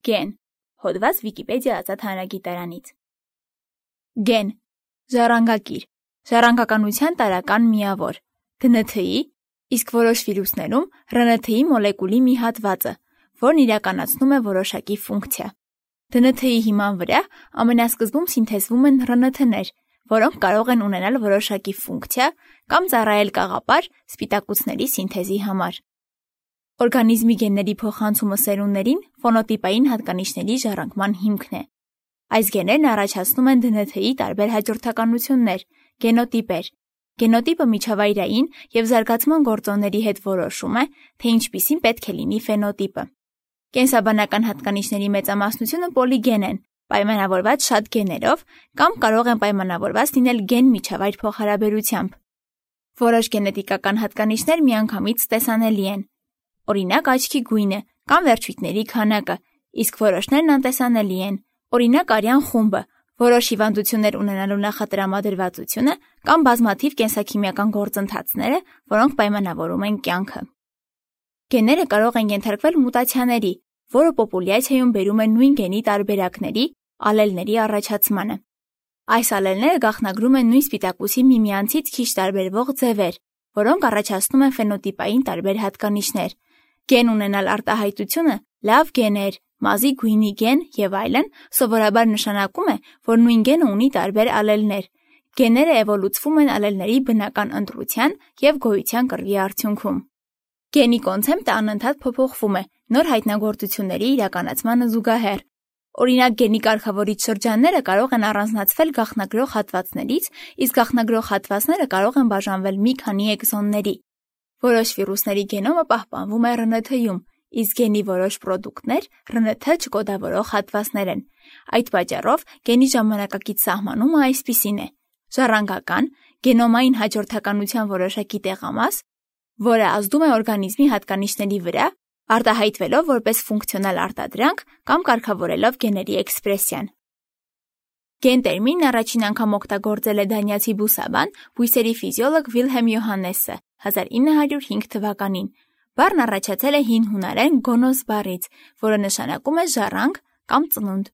Գեն։ Հոդված Վիկիպեդիա ազատ հանրագիտարանից։ Գեն։ Ժառանգակիր։ Ժառանգականության տարրական միավոր։ ԴՆԹ-ի, իսկ որոշ վիրուսներում ՌՆԹ-ի մոլեկուլի մի հատվածը, որն իրականացնում է որոշակի ֆունկցիա։ ԴՆԹ-ի հիման վրա ամենասկզբում սինթեզվում են ՌՆԹ-ներ, որոնք կարող են ունենալ որոշակի ֆունկցիա կամ ծառայել կաղապար սպիտակուցների սինթեզի համար։ Օրգանիզմի գենների փոխանցումը սերունդներին ֆոնոտիպային հատկանիշների ժառանգման հիմքն է։ Այս գեներն առաջացնում են ԴՆԹ-ի տարբեր հաջորդականություններ, գենոտիպեր։ Գենոտիպը միջավայրային և զարգացման գործոնների հետ որոշում է, թե ինչպիսին պետք է լինի ֆենոտիպը։ Կենսաբանական հատկանիշների մեծամասնությունը պոլիգեն են, պայմանավորված շատ գեներով կամ կարող են պայմանավորված լինել գեն-միջավայր փոխհարաբերությամբ։ Որոշ գենետիկական հատկանիշներ միանգամից տեսանելի են։ Օրինակ աչքի գույնը կամ վերջույթների քանակը, իսկ որոշներն անտեսանելի են, օրինակ արյան խումբը, որոշ հիվանդություններ ունենալու նախատրամադրվածությունը կամ բազմաթիվ կենսաքիմիական գործընթացները, որոնք պայմանավորում են կյանքը։ Գեները կարող են ենթարկվել մուտացիաների, որը պոպուլյացիայում բերում է նույն գենի տարբերակների, ալելների առաջացմանը։ Այս ալելները գաղտնագրում են նույն սպիտակուցի միմյանցից քիչ տարբերվող ձևեր, որոնք առաջացնում են ֆենոտիպային տարբեր հատկանիշներ։ Գեն ունենալ արտահայտությունը լավ գեներ, մազի գույնի գեն և այլն սովորաբար նշանակում է, որ նույն գենը ունի տարբեր ալելներ։ Գեները էվոլյուցվում են ալելների բնական ընտրության և գոյության կռվի արդյունքում։ Գենի կոնցեպտը անընդհատ փոփոխվում է նոր հայտնագործությունների իրականացմանը զուգահեռ։ Օրինակ գենի կարգավորիչ շրջանները կարող են առանձնացվել գաղտնագրող հատվածներից, իսկ գաղտնագրող հատվածները կարող են բաժանվել մի քանի էքզոնների։ Որոշ վիրուսների գենոմը պահպանվում է ՌՆԹ-ում, իսկ գենի որոշ պրոդուկտներ ՌՆԹ չկոդավորող հատվածներ են։ Այդ պատճառով գենի ժամանակակից սահմանումը այսպիսին է. ժառանգական, գենոմային հաջորդականության որոշակի տեղամաս, որը ազդում է օրգանիզմի հատկանիշների վրա, արտահայտվելով որպես ֆունկցիոնալ արտադրանք կամ կարգավորելով գեների էքսպրեսիան։ Գեն տերմինն առաջին անգամ օգտագործել է դանիացի բուսաբան, բույսերի ֆիզիոլոգ Վիլհելմ Յոհաննեսը 1905 թվականին։ Բառն առաջացել է հին հունարեն գոնոս բառից, որը նշանակում է ժառանգ կամ ծնունդ։